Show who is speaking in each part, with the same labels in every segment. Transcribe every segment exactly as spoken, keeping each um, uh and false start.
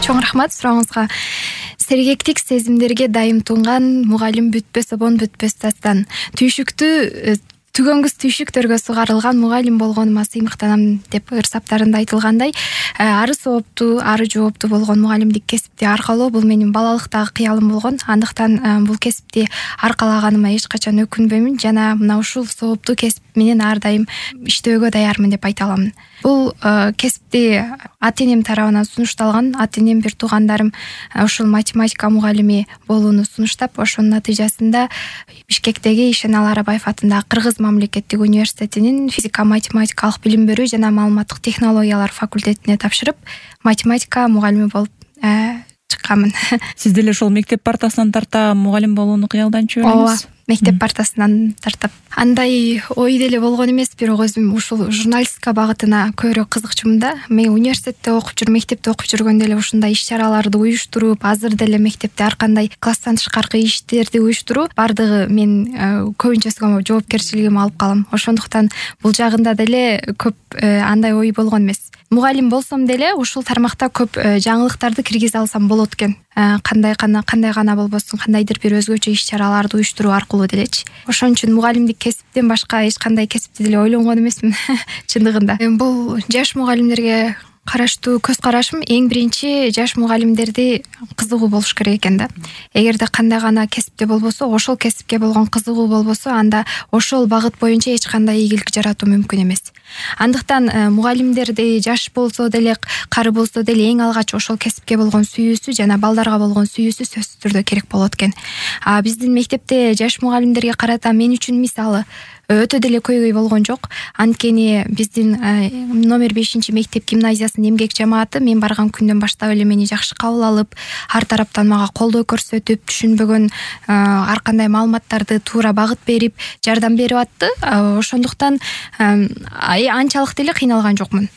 Speaker 1: Чоң рахмат сурооңузга. Сергектик сезимдерге дайым тунган мугалим бүтпөс обон бүтпөс дастан. Түйшүктү түгөнгүс түйшүктөргө сугарылган мугалим болгонума сыймыктанам деп ырсаптарында айтылгандай, ары сооптуу, ары жооптуу болгон мугалимдик кесипти аркалоо бул менин балалыктагы кыялым болгон. Андыктан бул кесипти аркалаганыма эч качан өкүнбөймүн жана мына ушул сооптуу кесип менен ар дайым иштөөгө даярмын деп айта аламын. Бул кесипти ата энем тарабынан сунушталган. Ата энем бир туугандарым ушул математика мугалими болууну сунуштап, ошонун натыйжасында Бишкектеги Ишеналы Арабаев атындагы Кыргыз мамлекеттик университетинин физика математикалык билим берүү жана маалыматтык технологиялар факультетине тапшырып, математика мугалими болуп чыкканмын.
Speaker 2: Сиз деле ошол мектеп партасынан тарта мугалим болууну кыялданчу белеңиз?
Speaker 1: Ооба, мектеп партасынан тартып. Андай ой деле болгон эмес, бирок өзүм ушул журналистика багытына көбүрөөк кызыкчумун да. Мен университетте окуп жүрүп, мектепте окуп жүргөндө эле ушундай иш-чараларды уюштуруп, азыр деле мектепте ар кандай класстан тышкаркы иштерди уюштуруу бардыгы мен көбүнчөсүгө жоопкерчилигим алып калам. Ошондуктан бул жагында деле көп андай ой болгон эмес. Мугалим болсом деле ушул тармакта көп жаңылыктарды киргизе алсам болот экен. Кандай гана кандай гана болбосун, кандайдыр бир өзгөчө иш-чараларды уюштуруу аркылуу делечи. Ошон үчүн мугалимдик кесиптен башка эч кандай кесипти деле ойлонгон эмесмин чындыгында. Бул жаш мугалимдерге караштуу көз карашым эң биринчи жаш мугалимдерди кызыгуу болуш керек экен да. Эгерде кандай гана кесипте болбосо, ошол кесипке болгон кызыгуу болбосо, анда ошол багыт боюнча эч кандай ийгилик жаратуу мүмкүн эмес. Андыктан мугалимдерди жаш болсо деле, кары болсо деле эң алгач ошол кесипке болгон сүйүүсү жана балдарга болгон сүйүүсү сөзсүз түрдө керек болот экен. А биздин мектепте жаш мугалимдерге карата мен үчүн мисалы өтө деле көйгөй болгон жок. Анткени биздин номер бешинчи мектеп гимназиясынын эмгек жамааты мен барган күндөн баштап эле мени жакшы кабыл алып, ар тараптан мага колдоо көрсөтүп, түшүнбөгөн ар кандай маалыматтарды туура багыт берип, жардам берип атты. Ошондуктан анчалык деле кыйналган жокмун.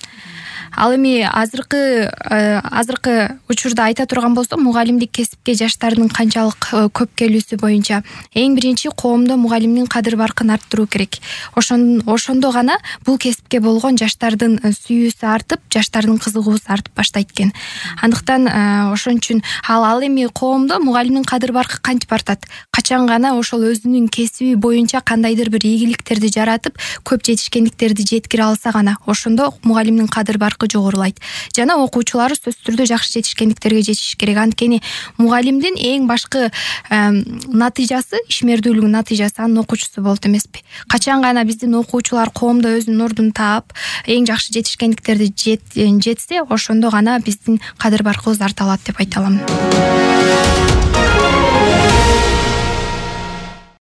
Speaker 1: Ал эми азыркы азыркы учурда айта турган болсом, мугалимдик кесипке жаштардын канчалык көп келүүсү боюнча эң биринчи коомдо мугалимдин кадыр баркын арттыруу керек. Ошон ошондо гана бул кесипке болгон жаштардын сүйүүсү артып, жаштардын кызыгуусу артып баштайт экен. Андыктан ошон үчүн ал ал эми коомдо мугалимдин кадыр баркы кантип артат? Качан гана ошол өзүнүн кесиби боюнча кандайдыр бир ийгиликтерди жаратып, көп жетишкендиктерди жеткире алса гана, ошондо мугалимдин кадыр баркы жогорулайт. Жана окуучулары сөзсүз түрдө жакшы жетишкендиктерге жетиш керек. Анткени мугалимдин эң башкы натыйжасы, ишмердүүлүгүнүн натыйжасы анын окуучусу болот эмеспи? Качан гана биздин окуучулар коомдо өзүнүн ордун таап, эң жакшы жетишкендиктерди жетсе, ошондо гана биздин кадыр баркыбыз арта алат деп айта алам.